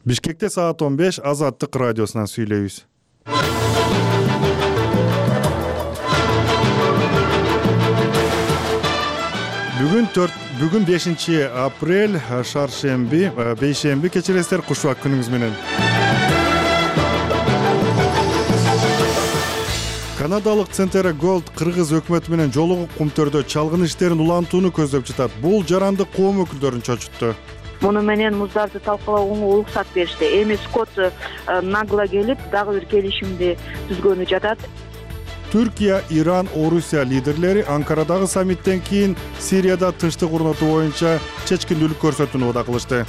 Бишкекте саат 15 Азаттык радиосунан сүйлөйбүз. Бүгүн 5 апрель, шаршемби, бейшемби, кечиресиздер, кушубак күнүңүз менен. Канадалык Центера Голд кыргыз өкмөтү менен жолугуп Кумтөрдө чалгын иштерин улантууну көздөп жатат. Бул жаранды коом өкүлдөрүн чочутту. Муну менен муздарды талкалоого уруксат беришти. Эми Скотт нагло келип, дагы бир келишимди түзгөнү жатат. Түркия, Иран, Орусия лидерлери Анкарадагы саммиттен кийин Сирияда тынчтык орнотуу боюнча чечкиндүүлүк көрсөтүүнү убада кылышты.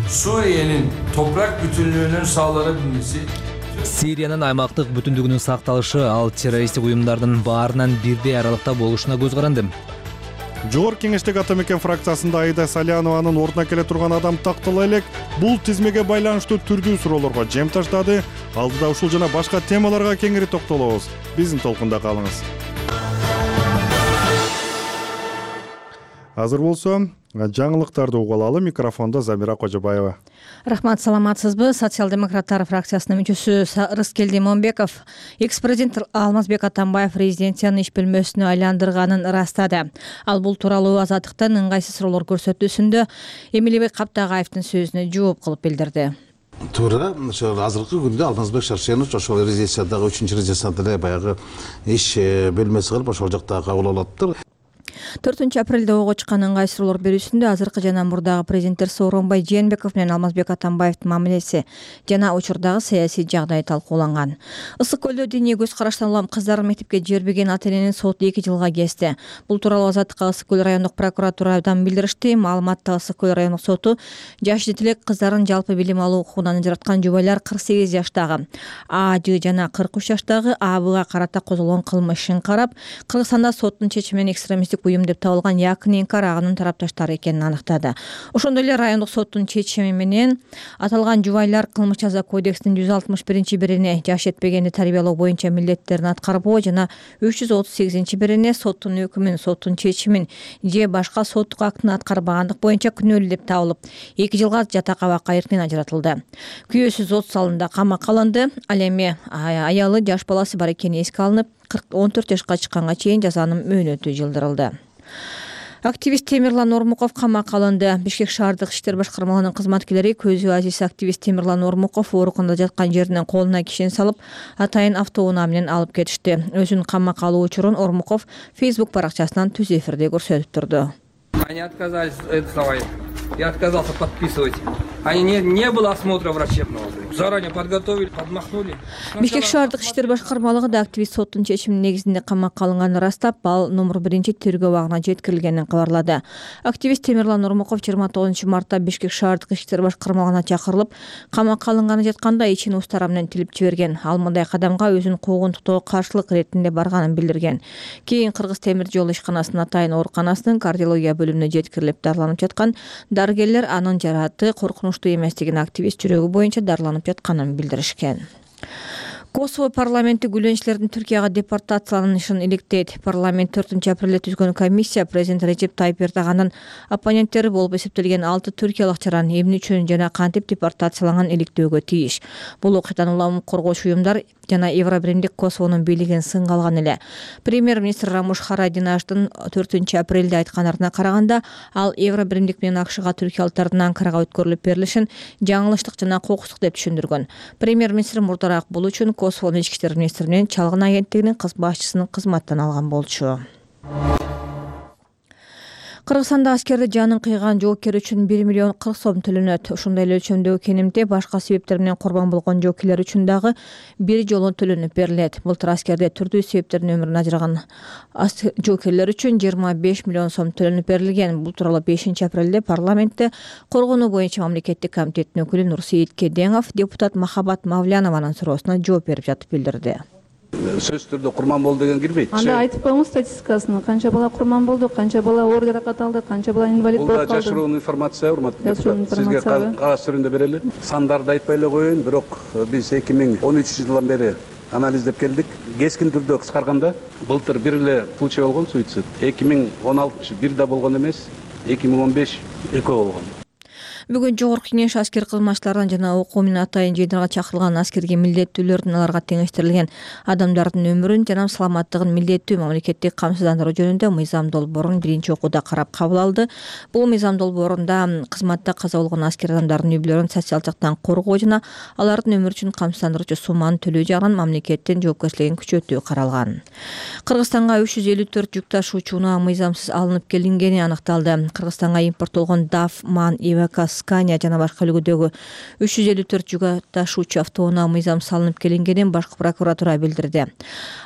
Suriye'nin toprak bütünlüğünün sağlanabilmesi, Сириянын аймактык бүтүндүгүнүн сакталышы ал террористтик уюмдардын баарынан бирдей аралыкта болушуна көз каранды. Жогорку Кеңештеги Ата Мекен фракциясында Айда Салянованын ордуна келе турган адам тактала элек бул тизмеге байланыштуу түрдүү суроолорго жем таштады. Алдыда ушул жана башка темаларга кеңири токтолобуз. Биздин толкунда калыңыз. Азыр болсо, жаңылыктарды угуп алалы. Микрофондо Замира Кожобаева. Рахмат, саламатсызбы? Социал-демократтар фракциясынын мүчөсү Рыскелди Момбеков экс-президент Алмазбек Атамбаев резиденциянын иш бөлмөсүнө айландырганын ырастады. Ал бул тууралуу Азаттыктан ыңгайсыз суроолор көрсөтүүсүндө Эмилбек Каптагаевдин сөзүнө жооп кылып билдирди. Туура, ошо азыркы күндө Алмазбек Шаршенович ошол резиденциядагы 3-резиденцияда эле баягы иш бөлмөсү кылып ошол жакта кабыл алаптыр. 4 апрелде ого чыккан ыңгайсыз суроолор берүүсүндө азыркы жана мурдагы президенттер Сооронбай Жээнбеков менен Алмазбек Атамбаевдин мамилеси жана учурдагы саясий жагдай талкууланган. Ысык көлдө диний көз караштан улам кыздарын мектепке жибербеген ата-эненин соту 2 жылга кести. Бул тууралуу Азаттыкка Ысык көл райондук прокуратурадан билдиришти. Маалыматта Ысык көл райондук соту жаш жетилек кыздарын жалпы билим алуу укугунан ажыраткан жубайлар 48 жаштагы А.Ж жана 43 жаштагы А.Бга карата козголгон кылмыш ишин карап, Кыргызстанда соттун чечиминен экстремисттик уюм деп табылган Якын Инкар агынын тарапташтары экенин аныктады. Ошондой эле райондук соттун чечими менен аталган жубайлар Кылмыш жаза кодексинин 161-бирине жаш жетпегенди тарбиялоо боюнча милдеттерин аткарбоо жана 338-бирине соттун өкүмүн, соттун чечимин же башка соттук актын аткарбагандык боюнча күнөөлүү деп табылып, 2 жылга жатак-абакка эртинен ажыратылды. Күйөөсү сот залында камакка алынды. Ал эми аялы жаш баласы бар экени эске алынып, 14 жашка чыкканга чейин жазанын мөөнөтү жылдырылды. Активист Темирлан Ормуков камакка алынды. Бишкек шаардык иштер башкармалыгынын кызматкерлери көзү азиз активист Темирлан Ормуков ооруканада жаткан жеринен колуна кишен салып, атайын автоунаа менен алып кетишти. Өзүнүн камакка алуу учурун Ормуков Facebook баракчасынан түз эфирде көрсөтүп турду. Они отказались сдавать. Я отказался подписывать. Они не было осмотра врачебного. Заранее подготовили, подмахнули. Бишкек шаардык иштер башкармалыгы да активист соттун чечиминин негизинде камакка алынганын ырастап, ал номер 1 тергөө абагына жеткирилгенин кабарлады. Активист Темирлан Ормуков 29 мартта Бишкек шаардык иштер башкармалыгына чакырылып, камакка алынганы жатканда ичин устара менен тилип жиберген. Ал мындай кадамга өзүн куугунтуктоого каршылык иретинде барганын билдирген. Кийин Кыргыз темир жол ишканасынын атайын ооруканасынын кардиология бөлүмүнө жеткирилип дарыланып жаткан дарыгерлер анын жарааты коркунучтуу эместигин, активист жүрөгү боюнча дарыланып жатканын билдиришкен. Косово парламенти күлөнчүлөрдүн Түркияга депортацияланышын иликтейт. Парламент 4 апрелде түзгөн комиссия президент Режеп Тайып Эрдоганын оппоненттери болуп эсептелген 6 түркиялык чараны эмне үчүн жана кантип депортацияланган иликтөөгө тийиш. Бул окуядан улам коргоочу уюмдар жана Евробиримдик Косовонун бийлигин сынга алган эле. Премьер-министр Рамуш Харадинаштын 4 апрелде айткандарына караганда, ал Евробиримдик менен АКШга түркиялыктардын Анкарага өткөрүлүп берилишин жаңылыштык жана кокустук деп түшүндүргөн. Премьер-министр мурдараак бул үчүн Косовонун ички иштер министринин чалгын агенттигинин башчысынын кызматтан алган болчу. Кыргызстанда аскерди жанын кыйган жоокер үчүн 1 миллион 40 сом төлөнөт. Ушундай эле өлчөмдөгү кенемде башка себептер менен курбан болгон жоокерлер үчүн дагы бир жолу төлөнүп берилет. Былтыр аскерде түрдүү себептерден өмүрүн ажыраган жоокерлер үчүн 25 миллион сом төлөнүп берилген. Бул тууралуу 5 апрелде парламентте коргонуу боюнча мамлекеттик комитеттин өкүлү Нурсейит Кедеңов депутат Махабат Мавлянованын суроосуна жооп берип жатып билдирди. Сөз түрдө курман болду деген кирбейт. Анда айтып коюңуз статистикасын, канча бала курман болду, канча бала оор жаракат алды, канча бала инвалид болуп калды. Бул жашыруун информация, урматтуу депутат. Сизге кагаз түрүндө берели. Сандарды айтпай эле коеюн, бирок биз 2013 жылдан бери анализдеп келдик. Кескин түрдө кыскарганда, былтыр бир эле случай болгон суицид. 2016 бир да болгон эмес, 2015 экөө болгон. Бүгүн Жогорку Кеңеш аскер кызматчылардан жана окуу менен атайын жыйындарга чакырылган аскерге милдеттүүлөрдүн аларга теңештирилген адамдардын өмүрүн жана саламаттыгын милдеттүү мамлекеттик камсыздандыруу жөнүндө мыйзам долбоорун биринчи окууда карап кабыл алды. Бул мыйзам долбоорунда кызматта каза болгон аскер адамдардын үй бүлөлөрүн социалдык жактан коргоо жана алардын өмүрү үчүн камсыздандыруучу сумманы төлөө жагынан мамлекеттин жоопкерчилигин күчөтүү каралган. Кыргызстанга 354 жүк ташуучу унаа мыйзамсыз алынып келингени аныкталды. Кыргызстанга импорттолгон DAF, MAN, Iveco, Scania жана башка үлгүдөгү 354 жүк ташуучу автоунаа мыйзамсыз алынып келингенин башкы прокуратура билдирди.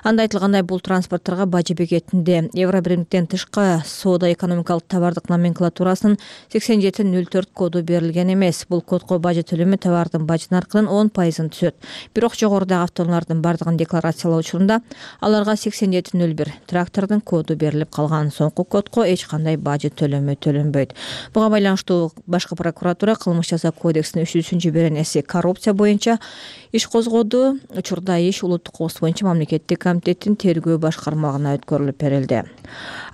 Анда айтылгандай, бул транспортторго бажы бекетинде евро биримдиктен тышкы соода-экономикалык товардык номенклатурасынын 8704 коду берилген эмес. Бул кодго бажы төлөмү товардын бажы наркынын 10% түшөт. Бирок жогорудагы автоунаалардын бардыгын декларациялоо учурунда аларга 8701 трактордун коду берилип калган. Соңку кодго эч кандай бажы төлөмү төлөнбөйт. Буга байланыштуу башкы прокуратура кылмыш жаза кодексинин 3-беренеси коррупция боюнча иш козгоду. Учурда иш улуттук кооз боюнча мамлекеттик комитеттин тергөө башкармалыгына өткөрүлүп берилди.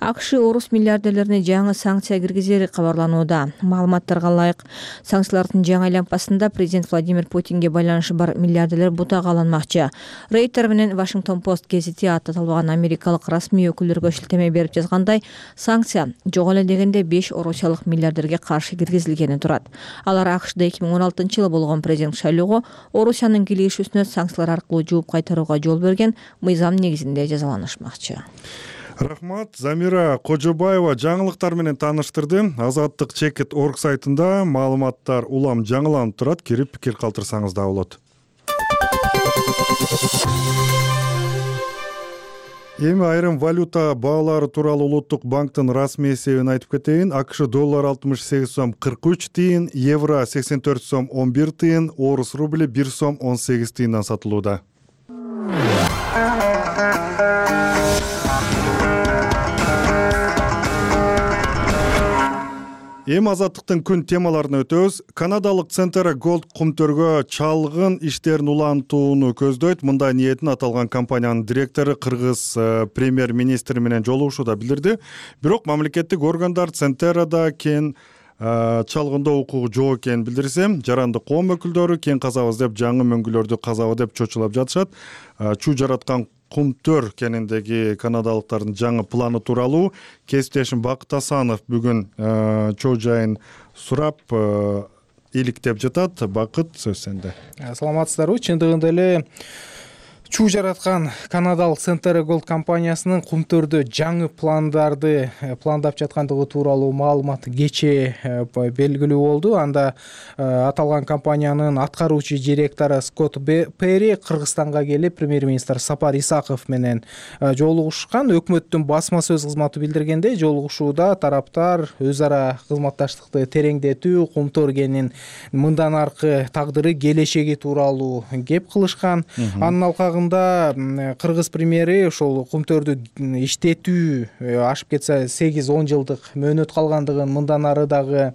АКШ орус миллиардерлерине жаңы санкция киргизери кабарланууда. Маалыматтарга ылайык, санкциялардын жаңы айлампасында президент Владимир Путинге байланышы бар миллиардерлер бутага алынмакчы. Рейтер менен Washington Post гезити аталган америкалык расмий өкүлдөргө шилтеме берип жазгандай, санкция жок эле дегенде 5 орусиялык миллиардерге каршы киргизилгени турат. Алар АКШда 2016-жылы болгон президент шайлоого Орусиянын кийлигишүүсүнө санкциялар аркылуу жооп кайтарууга жол берген мыйзам негизинде жазаланышмакчы. Рахмат. Замира Кожобаева жаңылыктар менен тааныштырды. Азаттык Чекит.org сайтында маалыматтар улам жаңыланып турат. Кирип пикир калтырсаңыз да болот. Эми айрым валюта баалары тууралуу Улуттук банктын расмий эсебин айтып кетейин. АКШ доллар 68 сом 43 тыйын, евро 84 сом 11 тыйын, орус рубли 1 сом 18 тыйындан сатылууда. Эми азаттыктын күн темаларына өтөбүз. Канадалык Центера Голд кумтөргө чалгын иштерин улантууну көздөйт. Мындай ниетин аталган компаниянын директору кыргыз премьер-министри менен жолугушууда билдирди. Бирок мамлекеттик органдар Центерада кен чалгында укугу жок экенин билдирсе, жаранды коом өкүлдөрү кен казабыз деп жаңы мөңгүлөрдү казабы деп чочулап жатышат. Чуу жараткан кумтөр кениндеги канадалыктардын жаңы планы тууралуу кесиптешим Бакыт Асанов бүгүн чоо жайын сурап иликтеп жатат. Бакыт, сөз сенде. Саламатсыздарбы? Чындыгында эле чуу жараткан канадалык Центера Голд компаниясынын кумтөрдө жаңы пландарды пландап жаткандыгы тууралуу маалымат кечээ белгилүү болду. Анда аталган компаниянын аткаруучу директору Скотт Перри Кыргызстанга келип, премьер-министр Сапар Исаков менен жолугушкан. Өкмөттүн басма сөз кызматы билдиргендей, жолугушууда тараптар өз ара кызматташтыкты тереңдетүү, кумтөр кенинин мындан аркы тагдыры, келечеги тууралуу кеп кылышкан. Анын алкагында кыргыз премьери ошол кумтөрдү иштетүү ашып кетсе 8-10 жылдык мөөнөт калгандыгын, мындан ары дагы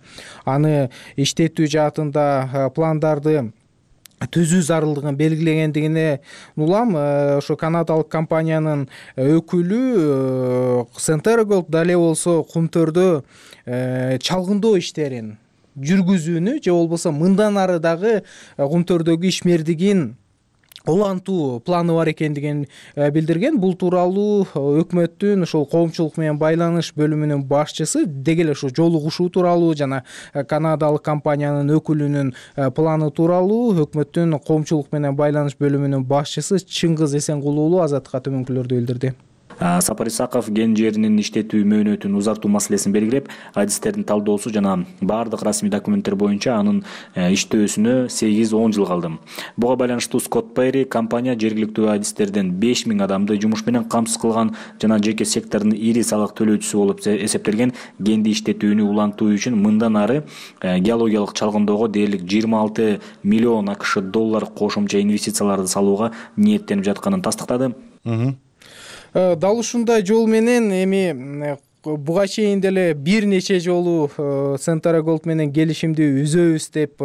аны иштетүү жаатында пландарды түзүү зарылдыгын белгилегендигине улам. Ошо канадалык компаниянын өкүлү Центера Голд дале болсо кумтөрдө чалгындоо иштерин жүргүзүүнү же болбосо мындан ары дагы кумтөрдөгү ишмердигин улантуу планы бар экендигин билдирген. Бул тууралуу өкмөттүн ошол коомчулук менен байланыш бөлүмүнүн башчысы деги эле ошо жолугушуу тууралуу жана канадалык компаниянын өкүлүнүн планы тууралуу өкмөттүн коомчулук менен байланыш бөлүмүнүн башчысы Чыңгыз Эсенгул уулу Азаттыкка төмөнкүлөрдү билдирди. Сапар Исаков кен жеринин иштетүү мөөнөтүн узартуу маселесин белгилеп, адистердин талдоосу жана баардык расмий документтер боюнча анын иштөөсүнө 8-10 жыл калды. Буга байланыштуу Скотт Перри компания жергиликтүү адистерден 5000 адамды жумуш менен камсыз кылган жана жеке сектордун ири салык төлөөчүсү болуп эсептелген кенди иштетүүнү улантуу үчүн мындан ары геологиялык чалгындоого дээрлик 26 миллион АКШ доллар кошумча инвестицияларды салууга ниеттенип жатканын тастыктады. Дал ушундай жол менен эми буга чейин деле бир нече жолу Centara Gold менен келишимди үзөбүз деп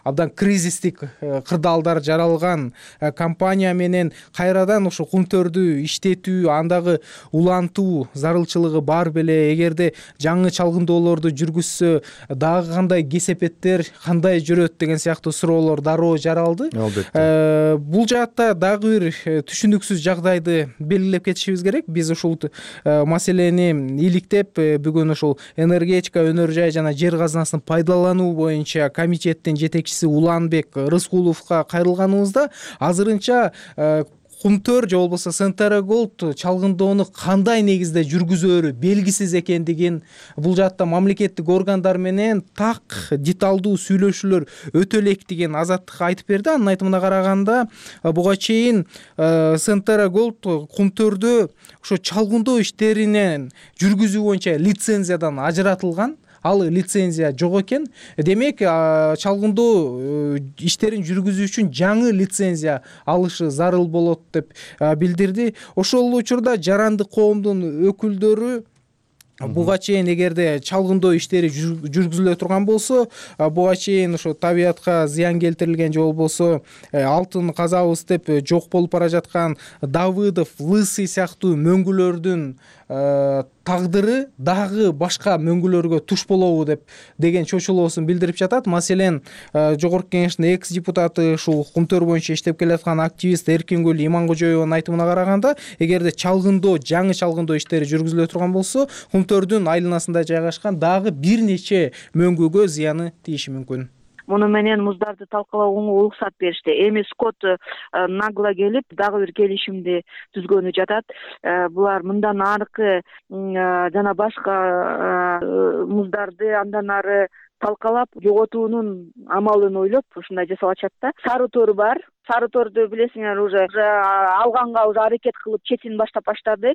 абдан кризистик кырдаалдар жаралган компания менен кайрадан ошо кумтөрдү иштетүү, андагы улантуу зарылчылыгы бар беле, эгерде жаңы чалгындоолорду жүргүзсө дагы кандай кесепеттер, кандай жүрөт деген сыяктуу суроолор дароо жаралды. Албетте. Бул жаатта дагы бир түшүнүксүз жагдайды белгилеп кетишибиз керек. Биз ушул маселени иликтеп, бүгүн ушул энергетика, өнөр жай жана жер казынасын пайдалануу боюнча комитеттин жетекчиси Уланбек Рыскуловго кайрылганыбызда азырынча Кумтөр же болбосо Centara Gold чалгындоону кандай негизде жүргүзөөрү белгисиз экендигин, бул жаатта мамлекеттик органдар менен так деталдуу сүйлөшүүлөр өтө элек деген Азаттыкка айтып берди. Анын айтымына караганда, буга чейин Centara Gold Кумтөрдө ошо чалгындоо иштеринен жүргүзүү боюнча лицензиядан ажыратылган. Ал лицензия жок экен. Демек, чалгындоо иштерин жүргүзүү үчүн жаңы лицензия алышы зарыл болот деп билдирди. Ошол учурда жарандык коомдун өкүлдөрү буга чейин эгерде чалгындоо иштери жүргүзүлө турган болсо, буга чейин ошо табиятка зыян келтирилген же болбосо алтын казабыз деп жок болуп бара жаткан Давыдов, Лысый сыяктуу мөңгүлөрдүн тагдыры дагы башка мөңгүлөргө туш болобу деген чочулоосун билдирип жатат. Маселен, Жогорку Кеңештин экс депутаты, ушул Кумтөр боюнча иштеп келаткан активист Эркингүл Иманкожоеванын айтымына караганда, эгерде жаңы чалгындоо иштери жүргүзүлө турган болсо, Кумтөрдүн айланасында жайгашкан дагы бир нече мөңгүгө зыяны тийиши мүмкүн. Муну менен муздарды талкалоого уруксат беришти. Эми Скотт нагло келип дагы бир келишимди түзгөнү жатат. Булар мындан аркы жана башка муздарды андан ары талкалап жоготуунун амалын ойлоп ушундай жасап атышат да. Сары тор бар. Сары торду билесиңер, уже алганга уже аракет кылып четин баштап баштады.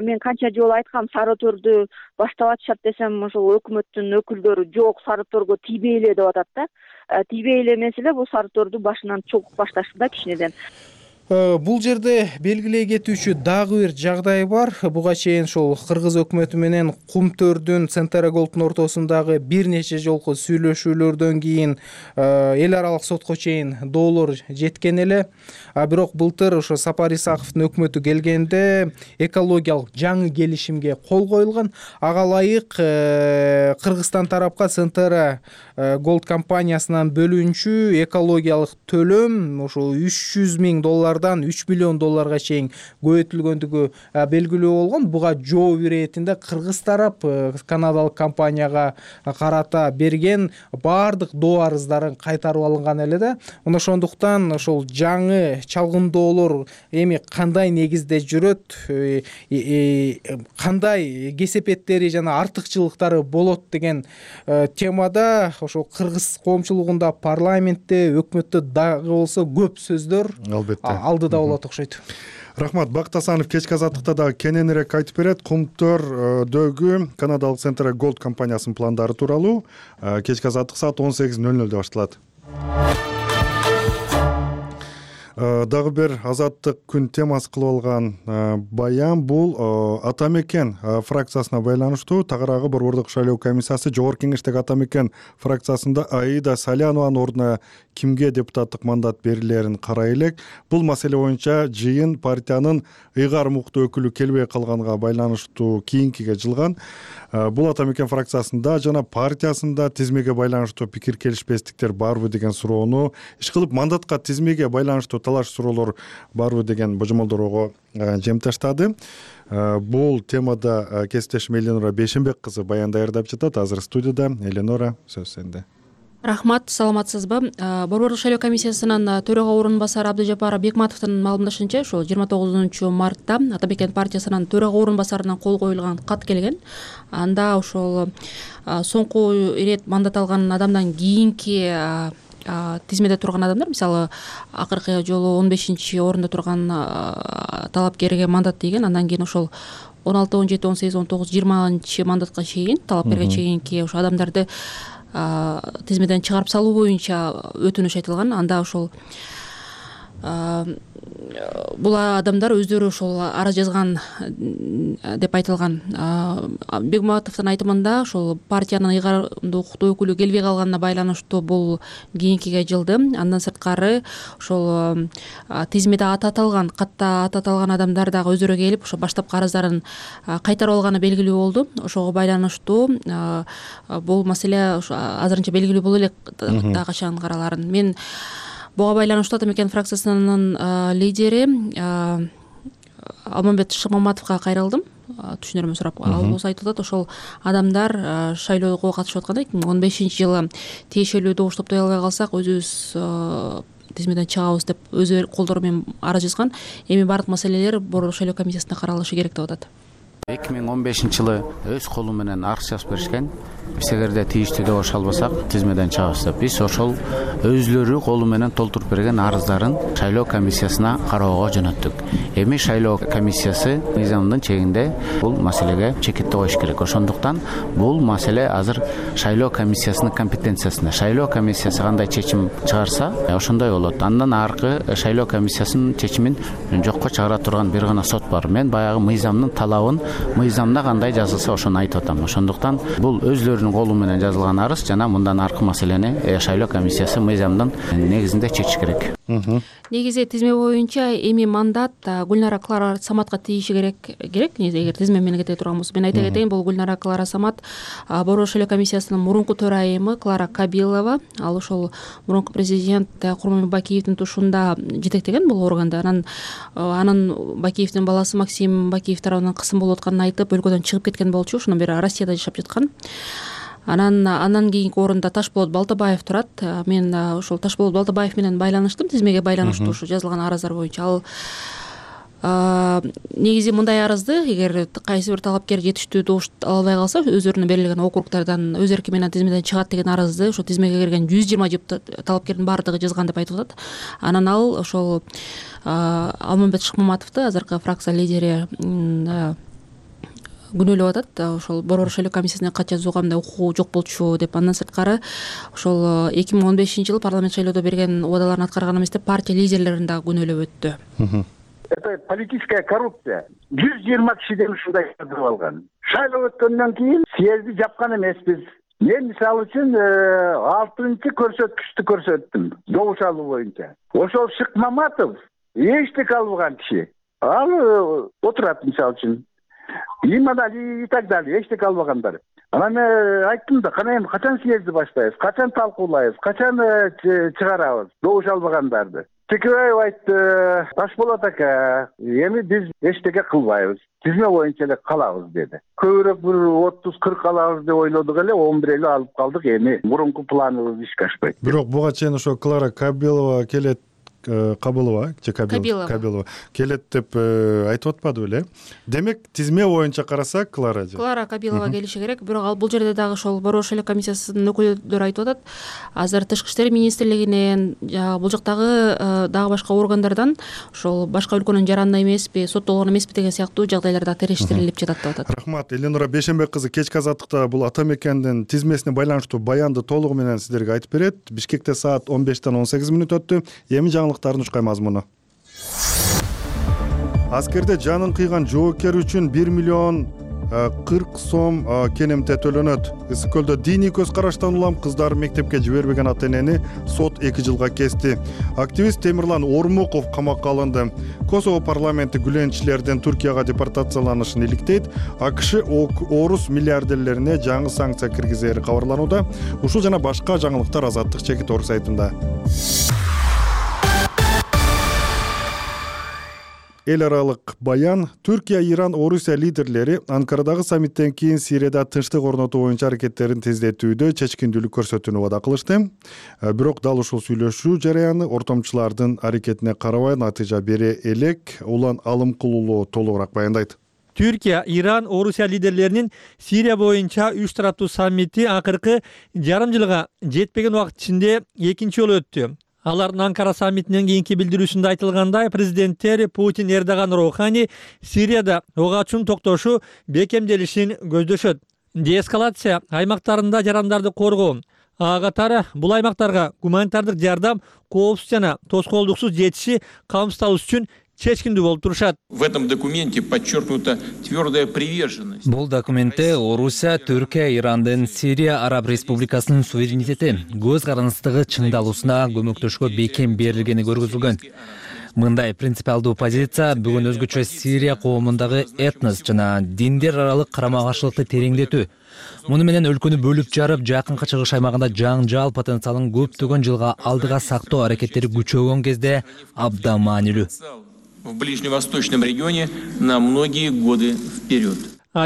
Мен канча жолу айткам, сары торду баштап атышат десем, ошол өкмөттүн өкүлдөрү жок, сары торго тийбейле деп атат да. Тийбейле эмес эле, бул сары торду башынан чогуп башташты да кичинеден. Бул жерде белгилей кетүүчү дагы бир жагдай бар. Буга чейин ошол кыргыз өкмөтү менен Кумтөрдүн Centara Gold'ун ортосундагы бир нече жолку сүйлөшүүлөрдөн кийин эл аралык сотко чейин доолор жеткен эле. Бирок былтыр ошо Сапар Исаковдун өкмөтү келгенде экологиялык жаңы келишимге кол коюлган. Ага ылайык Кыргызстан тарапка Centara Gold компаниясынан бөлүнчү экологиялык төлөм ошо $300,000 $3 миллион чейин көбөйтүлгөндүгү белгилүү болгон. Буга жооп иретинде кыргыз тарап канадалык компанияга карата берген баардык доо арыздарын кайтарып алынган эле да. Ошондуктан ошол жаңы чалгындоолор эми кандай негизде жүрөт, кандай кесепеттери жана артыкчылыктары болот деген темада ошо кыргыз коомчулугунда, парламентте, өкмөттө дагы болсо көп сөздөр алдыда болот окшойт. Рахмат. Бакыт Асанов кечки азаттыкта дагы кененирээк айтып берет. Кумтөрдөгү канадалык Centara Gold компаниясынын пландары тууралуу. Кечки азаттык саат 18:00 башталат. Дагы бир азаттык күн темасы кылып алган баян бул Ата мекен фракциясына байланыштуу. Тагыраагы Борбордук шайлоо комиссиясы Жогорку Кеңештеги Ата мекен фракциясында Аида Салянованын ордуна кимге депутаттык мандат берилерин карай элек. Бул маселе боюнча жыйын партиянын ыйгар муктуу өкүлү келбей калганга байланыштуу кийинкиге жылган. Бул Ата мекен фракциясында жана партиясында тизмеге байланыштуу пикир келишпестиктер барбы деген суроону, ишкылып мандатка тизмеге байланыштуу талаш суроолор барбы деген божомолдорго жем таштады. Бул темада кесиптешим Эленора Бейшенбек кызы баян даярдап жатат. Азыр студияда. Эленора, сөз сенде. Рахмат, саламатсызбы? Борбордук шайлоо комиссиясынын төрага орун басары Абдыжапар Бекматовдун маалымдашынча, ошол 29 мартта Ата мекен партиясынын төрага орун басарынан кол коюлган кат келген. Анда ошол соңку ирет мандат алган адамдан кийинки тизмеде турган адамдар, мисалы акыркы жолу 15-орунда турган талапкерге мандат деген, андан кийин ошол 16, 17, 18, 19, 20 мандатка чейин талапкерге чейинки ошо адамдарды тизмеден чыгарып салуу боюнча өтүнүш айтылган. Анда ошол бул адамдар өздөрү ошол арыз жазган деп айтылган. Бегматовдун айтымында ошол партиянын ыйгарымдуу укуктуу өкүлү келбей калганына байланыштуу бул кийинкиге жылды. Андан сырткары ошол тизмеде катта аты аталган адамдар дагы өздөрү келип ошо баштапкы арыздарын кайтарып алганы белгилүү болду. Ошого байланыштуу бул маселе азырынча белгилүү боло элек да качан караларын. Мен буга байланыштуу Ата Мекен фракциясынын лидери Алмамбет Шыкмаматовго кайрылдым. Түшүнөрүмөн сурап. Ал болсо айтып атат, ошол адамдар шайлоого катышып атканда 2015-жылы тиешелүү добуш топтой албай калсак өзүбүз тизмеден чыгабыз деп өз колдору менен арыз жазган. Эми бардык маселелер Борбор шайлоо комиссиясында каралышы керек деп атат. 2015-жылы өз колу менен арыз жазып беришкен. Биз эгерде тийиштүү добуш албасак тизмеден чыгабыз деп. Биз ошол өзлөрү колу менен толтуруп берген арыздарын шайлоо комиссиясына кароого жөнөттүк. Эми шайлоо комиссиясы мыйзамдын чегинде бул маселеге чекитти коюш керек. Ошондуктан бул маселе азыр шайлоо комиссиясынын компетенциясында. Шайлоо комиссиясы кандай чечим чыгарса, ошондой болот. Андан аркы шайлоо комиссиясынын чечимин жокко чыгара турган бир гана сот бар. Мен баягы мыйзамдын талабын, мыйзамда кандай жазылса ошону айтып атам. Ошондуктан бул өзлөрүнүн колу менен жазылган арыз жана мындан аркы маселени шайлоо комиссиясы мыйзамдын негизинде чечиш керек. Негизи тизме боюнча эми мандат Гүлнара Клара Саматка тийиши керек. Эгер тизме менен кете турган болсо, мен айта кетейин, бул Гүлнара Клара Самат Борбор шайлоо комиссиясынын мурунку төрайымы Клара Кабилова. Ал ошол мурунку президент Курманбек Бакиевдин тушунда жетектеген бул органды. Анын Бакиевдин баласы Максим Бакиев тарабынан кысым болуп атканын айтып, өлкөдөн чыгып кеткен болчу. Ошондон бери Россияда жашап жаткан. Андан кийинки орунда Ташболот Балтабаев турат. Мен ошол Ташболот Балтабаев менен байланыштым, тизмеге байланыштуу ушу жазылган арыздар боюнча. Ал негизи мындай арызды эгер кайсы бир талапкер жетиштүү добуш ала албай калса, өзүрүнө берилген округдардан өз эрки менен тизмеден чыгат деген арызды ошо тизмеге кирген 120 талапкердин баардыгы жазган деп айтып атат. Анан ал ошол Алмамбет Шыкмаматовду, азыркы фракция лидери, күнөөлөп атат. Ошол Борбор шайлоо комиссиясына кат жазууга мындай укугу жок болчу деп. Андан сырткары ошол 2015-жылы парламент шайлоодо берген убадаларын аткарган эмес деп партия лидерлерин дагы күнөөлөп өттү. Это политическая коррупция. 120 кишиден ушундай жазып алган. Шайлоо өткөндөн кийин съезди жапкан эмеспиз. Мен мисалы үчүн 6-чы көрсөткүчтү көрсөттүм добуш алуу боюнча. Ошол Шыкмаматов эчтеке албаган киши. Ал отурат мисалы үчүн. И так далее, эчтеке албагандар. Анан айттым да, кана эми качан съезди баштайбыз, качан талкуулайбыз, качан чыгарабыз добуш албагандарды. Текебаев айтты, Ташболот ака, эми биз эчтеке кылбайбыз, тизме боюнча эле калабыз деди. Көбүрөөк бир 30-40 алабыз деп ойлодук эле, 11 эле алып калдык. Эми мурунку планыбыз ишке ашпайт. Бирок буга чейин ошо Клара Кабилова келет, Кабылова келет деп айтып атпады беле? Демек тизме боюнча карасак Клара Кабилова келиши керек. Бирок ал бул жерде дагы ошол Борбор шайлоо комиссиясынын өкүлдөрү айтып атат. Азыр Тышкы иштер министрлигинен, бул жактагы дагы башка органдардан ошол башка өлкөнүн жаранына эмеспи, соттолгон эмеспи деген сыяктуу жагдайларда териштирилип жатат деп атат. Рахмат. Эленора Бейшенбек кызы кечки азаттыкта бул Ата Мекендин тизмесине байланыштуу баянды толугу менен сиздерге айтып берет. Бишкекте саат 15:18 өттү. Эми жаңылыктардын ушкай мазмуну. Аскерде жанын кыйган жоокер үчүн 1 миллион 40 сом кенемте төлөнөт. Ысык көлдө диний көз караштан улам кыздары мектепке жибербеген ата-энени сот 2 жылга кести. Активист Темирлан Ормуков камакка алынды. Косово парламенти гүленчилердин Туркияга депортацияланышын иликтейт. АКШ орус миллиардерлерине жаңы санкция киргизери кабарланууда. Ушул жана башка жаңылыктар Азаттык чекит орг сайтында. Эл аралык баян. Түркия, Иран, Орусия лидерлери Анкарадагы саммиттен кийин Сирияда тынчтык орнотуу боюнча аракеттерин тездетүүдө чечкиндүүлүк көрсөтүүнү убада кылышты. Бирок дал ушул сүйлөшүү жараяны ортомчулардын аракетине карабай натыйжа бере элек. Улан Алымкулуулу толугураак баяндайт. Түркия, Иран, Орусия лидерлеринин Сирия боюнча 3 тараптуу саммити акыркы жарым жылга жетпеген убакыт ичинде экинчи жолу өттү. Алардын Анкара саммитинен кийинки билдирүүсүндө айтылгандай, президенттер Путин, Эрдоган, Роухани Сирияда ого ачуунун токтошу бекемделишин көздөшөт. Деэскалация аймактарында жарандарды коргоо, Ага катары бул аймактарга гуманитардык жардам коопсуз жана тоскоолдуксуз жетиши камсыздалыш үчүн чечкиндүү болуп турушат. В этом документе подчеркнута твердая приверженность. Бул документте Орусия, Түркия, Ирандын Сирия Араб Республикасынын суверенитети, көз карандысыздыгы чыңдалуусуна көмөктөшкө бекем берилгени көргөзүлгөн. Мындай принципиалдуу позиция бүгүн өзгөчө Сирия коомундагы этнос жана диндер аралык карама-каршылыкты тереңдетүү, муну менен өлкөнү бөлүп жарып, жакынкы чыгыш аймагында жаңжал потенциалын көптөгөн жылга алдыга сактоо аракеттери күчөгөн кезде абдан маанилүү. В ближневосточном регионе на многие годы вперед.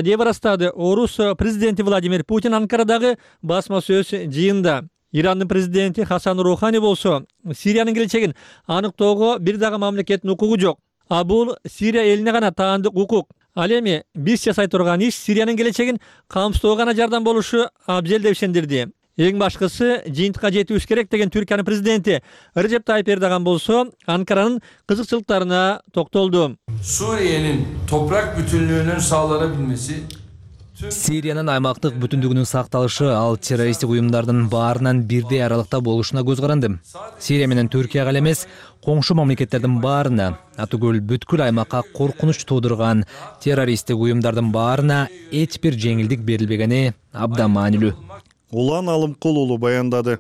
Деп ырастады Орус президенти Владимир Путин Анкарадагы басма сөз жыйында. Ирандын президенти Хасан Рухани болсо Сириянын келечегин аныктоого бир дагы мамлекеттин укугу жок. А бул Сирия элине гана таандык укук. Ал эми биз жасай турган иш Сириянын келечегин камсыздоого гана жардам болушу абзел деп ишендирди. Эң башкысы жыйынтыкка жетүүбүз керек деген Түркиянын президенти Режеп Тайып Эрдоган болсо Анкаранын кызыкчылыктарына токтолду. Suriye'nin toprak bütünlüğünün sağlanabilmesi Сириянын аймактык бүтүндүгүнүн сакталышы ал террористтик уюмдардын баарынан бирдей аралыкта болушуна көз каранды. Сирия менен Түркияга эле эмес, коңшу мамлекеттердин баарына, атүгүл бүткүл аймакка коркунуч туудурган террористтик уюмдардын баарына эч бир жеңилдик берилбегени абдан маанилүү. Улан Алымкул уулу баяндады.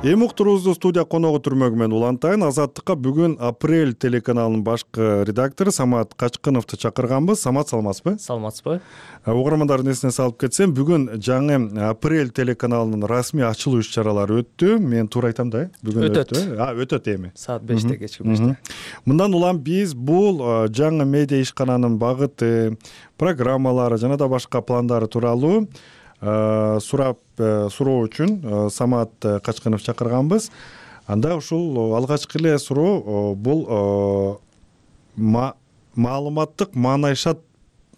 Эми уктуруубузду студия коногу түрмөгү менен улантайын. Азаттыкка бүгүн Апрель телеканалынын башкы редактору Самат Качкыновду чакырганбыз. Самат, саламатсызбы? Саламатсызбы. Угармандардын эсине салып кетсем, бүгүн жаңы Апрель телеканалынын расмий ачылуу иш-чаралары өттү. Мен туура айтам да, бүгүн өттү. Өтөт эми. Саат 5-те, кечки 5-те. Мындан улам биз бул жаңы медиа ишкананын багыты, программалары жана да башка пландары тууралуу суроо үчүн Самат Качкынов чакырганбыз. Анда ушул алгачкы эле суроо бул маалыматтык Маанайшат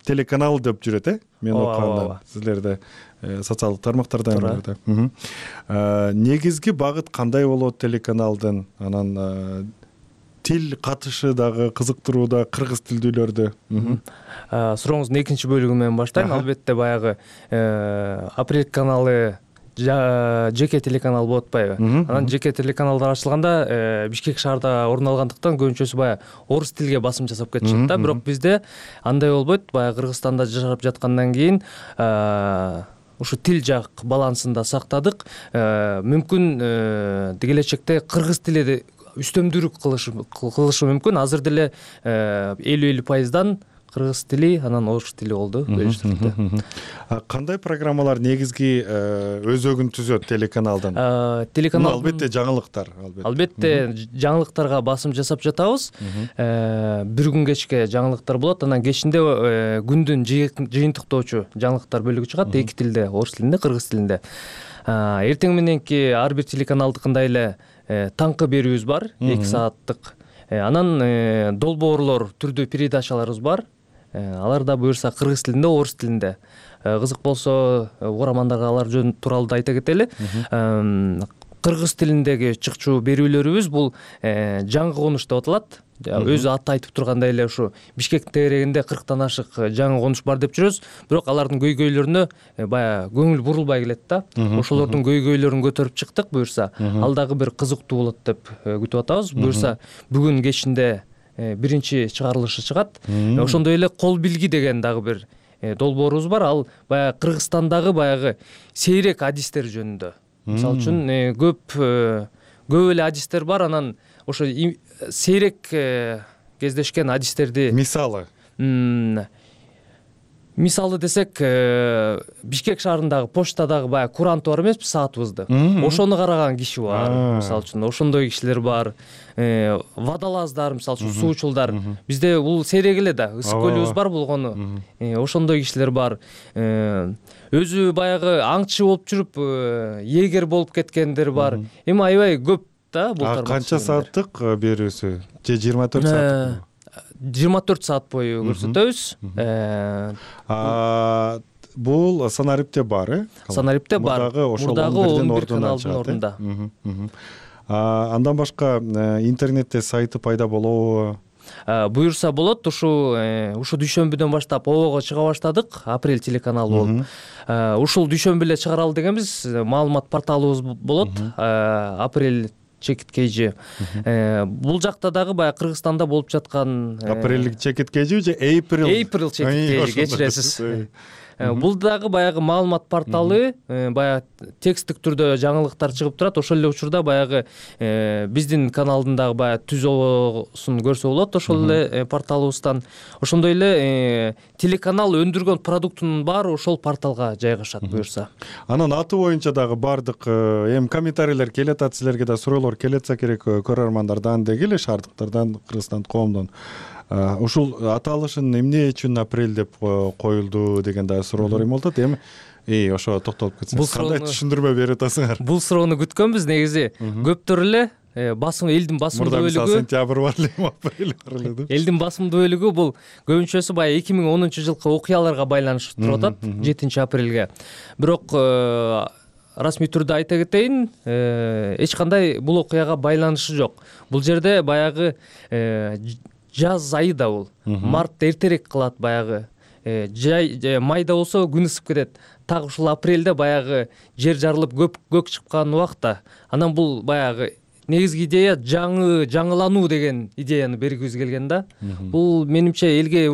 телеканалы деп жүрөт, мен окуганда силерде социалдык тармактарда. Негизги багыт кандай болот телеканалдын? Анан тил катышы дагы кызыктырууда, кыргыз тилдүүлөрдө. Сурооңуздун экинчи бөлүгү менен баштайм. Албетте баягы Апрель каналы жеке телеканал болуп атпайбы? Анан жеке телеканалдар ачылганда Бишкек шаарда орун алгандыктан көбүнчөсү баягы орус тилге басым жасап кетишет да. Бирок бизде андай болбойт. Баягы Кыргызстанда жашап жаткандан кийин ушу тил жак балансын да сактадык. Мүмкүн келечекте кыргыз тили үстөмдүүлүк кылышы мүмкүн. Азыр деле 50% кыргыз тили, анан орус тили болду. Кандай программалар негизги өзөгүн түзөт телеканалдан? Телеканал албетте жаңылыктар. Албетте жаңылыктарга басым жасап жатабыз. Бир күн кечке жаңылыктар болот. Анан кечинде күндүн жыйынтыктоочу жаңылыктар бөлүгү чыгат. Эки тилде, орус тилинде, кыргыз тилинде. Эртең мененки ар бир телеканалдыкындай эле таңкы берүүбүз бар, 2 сааттык. Анан долбоорлор түрдүү передачаларыбыз бар. Алар да буюрса кыргыз тилинде, орус тилинде. Кызык болсо, угармандарга алар жөн тууралуу да айта кетели. Кыргыз тилиндеги чыкчу берүүлөрүбүз бул жаңы конуш деп аталат. Өзү аты айтып тургандай эле ушу Бишкектин тегерегинде 40тан ашык жаңы конуш бар деп жүрөбүз. Бирок алардын көйгөйлөрүнө бая көңүл бурулбай келет да. Ошолордун көйгөйлөрүн көтөрүп чыктык буюрса. Ал дагы бир кызыктуу болот деп күтүп атабыз. Буюрса бүгүн кечинде биринчи чыгарылышы чыгат. Ошондой эле кол билги деген дагы бир долбоорубуз бар. Ал баягы Кыргызстандагы баягы сейрек адистер жөнүндө. Мисалы үчүн көп эле адистер бар, анан ошо сейрек кездешкен адистерди мисалы десек, Бишкек шаарындагы почтадагы баягы курантı бар эмеспи, саатыбызды. Ошону караган киши бар. Мисалы үчүн ошондой кишилер бар. Водолаздар, мисалы үчүн суучулдар. Бизде бул сейрек эле да, ысык көлүбүз бар болгону. Ошондой кишилер бар. Өзү баягы аңчы болуп жүрүп, егер болуп кеткендер бар. Эми аябай көп да бул тармак. Канча сааттык берүүсү? Же 24 сааттык? 24 саат бою көрсөтөбүз. Бул Санарипте бар, Санарипте бар. Мурдагы 11 каналдын ордунда. Андан башка интернетте сайты пайда болобу? буюрса болот. Ушу дүйшөмбүдөн баштап обого чыга баштадык, апрель телеканалы болуп. Ушул дүйшөмбү эле чыгаралы дегенбиз. Маалымат порталыбыз болот, апрель чекит кейжи. Бул жакта дагы баягы Кыргызстанда болуп жаткан апрель чекит кейжи же April чекит кейжи, кечиресиз. Бул дагы баягы маалымат порталы, баягы тексттик түрдө жаңылыктар чыгып турат. Ошол эле учурда баягы биздин каналдын дагы баягы түзүүсүн көрсө болот ошол эле порталыбыздан. Ошондой эле телеканал өндүргөн продуктунун баары ошол порталга жайгашат буюрса. Анан аты боюнча дагы бардык эми комментарийлер келет, силерге да суроолор келетсе керек көрөрмандардан деги эле шаардыктардан, Кыргызстан коомдон. Ушул аталышын эмне үчүн апрель деп коюлду деген да суроолор эми болот. Эми ошо токтолуп кетсеңиз, кандай түшүндүрмө бере атасыңар? Бул суроону күткөнбүз негизи. Көптөр эле элдин басымдуу бөлүгү сентябрь бар эле, апрель бар эле. Элдин басымдуу бөлүгү бул көбүнчөсү баягы 2010 жылкы окуяларга байланыштуу туруп атат, 7 апрелге. Бирок расмий түрдө айта кетейин, эч кандай бул окуяга байланышы жок. Бул жерде баягы жаз айы да бул. Март эртерээк кылат баягы. Майда болсо күн ысып кетет. Так ушул апрелде баягы жер жарылып көк чыккан убакта. Анан бул баягы негизги идея жаңылануу деген идеяны бергибиз келген да. Бул менимче элге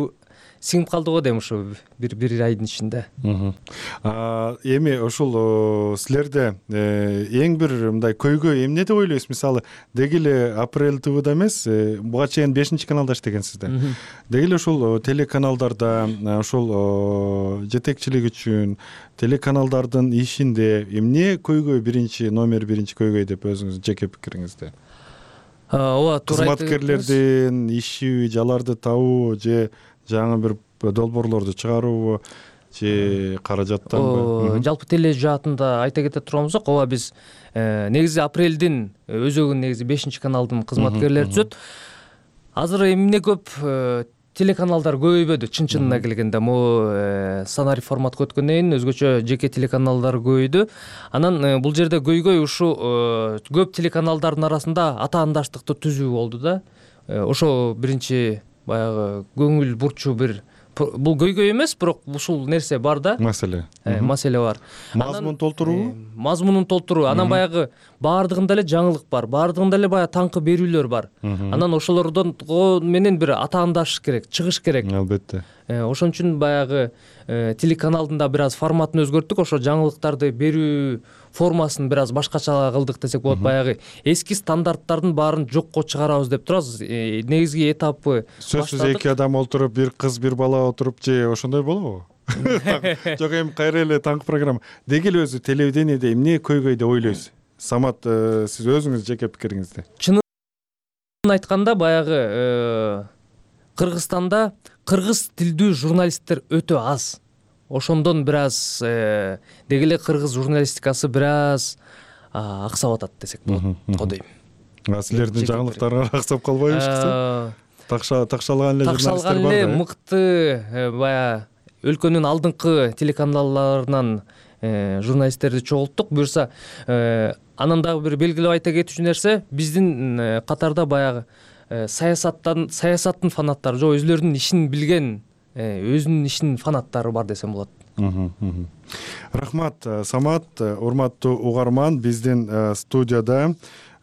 сиңип калды го дейм ушу бир айдын ичинде. Эми ушул силерде эң бир мындай көйгөй эмне деп ойлойсуз? Мисалы, деги эле Апрель ТВда эмес, буга чейин 5-каналда иштегенсиз да. Деги эле ушул телеканалдарда ушул жетекчилик үчүн телеканалдардын ишинде эмне көйгөй номер биринчи көйгөй деп өзүңүздүн жеке пикириңизде? Ооба, туура айтып кызматкерлердин иши, жаларды табуу же жаңы бир долбоорлорду чыгаруубу же каражаттанбы? Жалпы теле жаатында айта кете турганбызок, ооба биз негизи апрелдин өзөгүн негизи 5-каналдын кызматкерлери түзөт. Азыр эмне көп телеканалдар көбөйбөдү, чын-чынына келгенде. Могу сценарий форматка өткөндөн кийин өзгөчө жеке телеканалдар көбөйдү. Анан бул жерде көйгөй ушу көп телеканалдардын арасында атаандаштыкты түзүү болду да. Ошо биринчи баягы көңүл бурчу бул көйгөй эмес, бирок ушул нерсе бар да. Маселе бар. Мазмун толтуруу? Мазмунун толтуруу. Анан баягы баардыгында эле жаңылык бар, баардыгында эле баягы таңкы берүүлөр бар. Анан ошолордон менен бир атаандашыш керек, чыгыш керек. Албетте. Ошон үчүн баягы телеканалдын да бир аз форматын өзгөрттүк, ошо жаңылыктарды берүү формасын бир аз башкача кылдык десек болот. Баягы эски стандарттардын баарын жокко чыгарабыз деп турабыз. Негизги этапы сөзсүз 2 адам отуруп, бир кыз, бир бала отуруп же ошондой болобу? Жок, эми кайра эле таңкы программа. Деги эле өзү телевидениеде эмне көйгөй деп ойлойсуз? Самат, сиз өзүңүз жеке пикириңизде. Чынын айтканда баягы Кыргызстанда кыргыз тилдүү журналисттер өтө аз. Ошондон бир аз деги эле кыргыз журналистикасы бир аз аксап атат десек болот го дейм. Силердин жаңылыктарыңар аксап калбайбы ишкисе? Такшалган эле журналисттер бар да. Мыкты баягы өлкөнүн алдыңкы телеканалларынан журналисттерди чогулттук. Буюрса анан дагы бир белгилеп айта кетүүчү нерсе, биздин катарда баягы саясаттын фанаттары, же өзлөрүнүн ишин билген, өзүнүн ишинин фанаттары бар десем болот. Рахмат, Самат. Урматтуу угарман, биздин студияда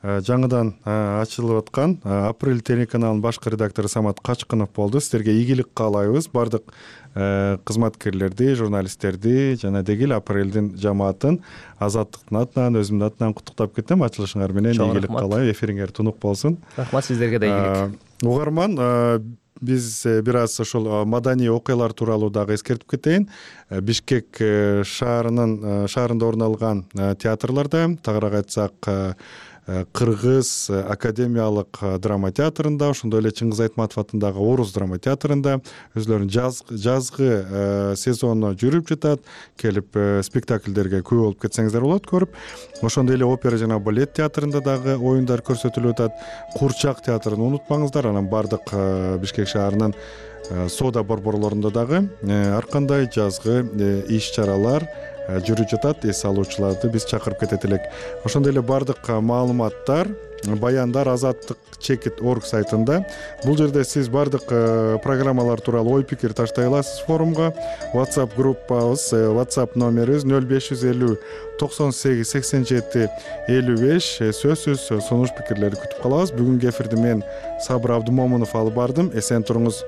жаңыдан ачылып аткан Апрель телеканалынын башкы редактору Самат Качкынов болду. Сиздерге ийгилик каалайбыз. Бардык кызматкерлерди, журналисттерди жана деги эле Апрелдин жамаатын Азаттыктын атынан, өзүмдүн атынан куттуктап кетем. Ачылышыңар менен ийгилик каалайм. Эфириңер тунук болсун. Рахмат, сиздерге да ийгилик. Угарман, биз бир аз ошол маданий окуялар тууралуу дагы эскертип кетейин. Бишкек шаарында орун алган театрларда, тагыраак айтсак, Кыргыз академиялык драма театрында, ошондой эле Чыңгыз Айтматов атындагы Орус драма театрында өзлөрүнүн жазгы сезону жүрүп жатат. Келип спектакльдерге күбө болуп кетсеңиздер болот көрүп. Ошондой эле опера жана балет театрында дагы оюндар көрсөтүлүп атат. Курчак театрын унутпаңыздар. Анан бардык Бишкек шаарынын соода борборлорунда дагы ар кандай жазгы иш-чаралар жүрүп жатат. Эс алуучуларды биз чакырып кетет элек. Ошондой эле бардык маалыматтар баяндар азаттык чекит орг сайтында. Бул жерде сиз бардык программалар тууралуу ой пикир таштай аласыз форумга. WhatsApp группабыз, WhatsApp номерибиз 0550 98 87 55. Сөзсүз сунуш пикирлерди күтүп калабыз. Бүгүнкү эфирди мен Сабыр Абдымомунов алып бардым. Эсен туруңуз.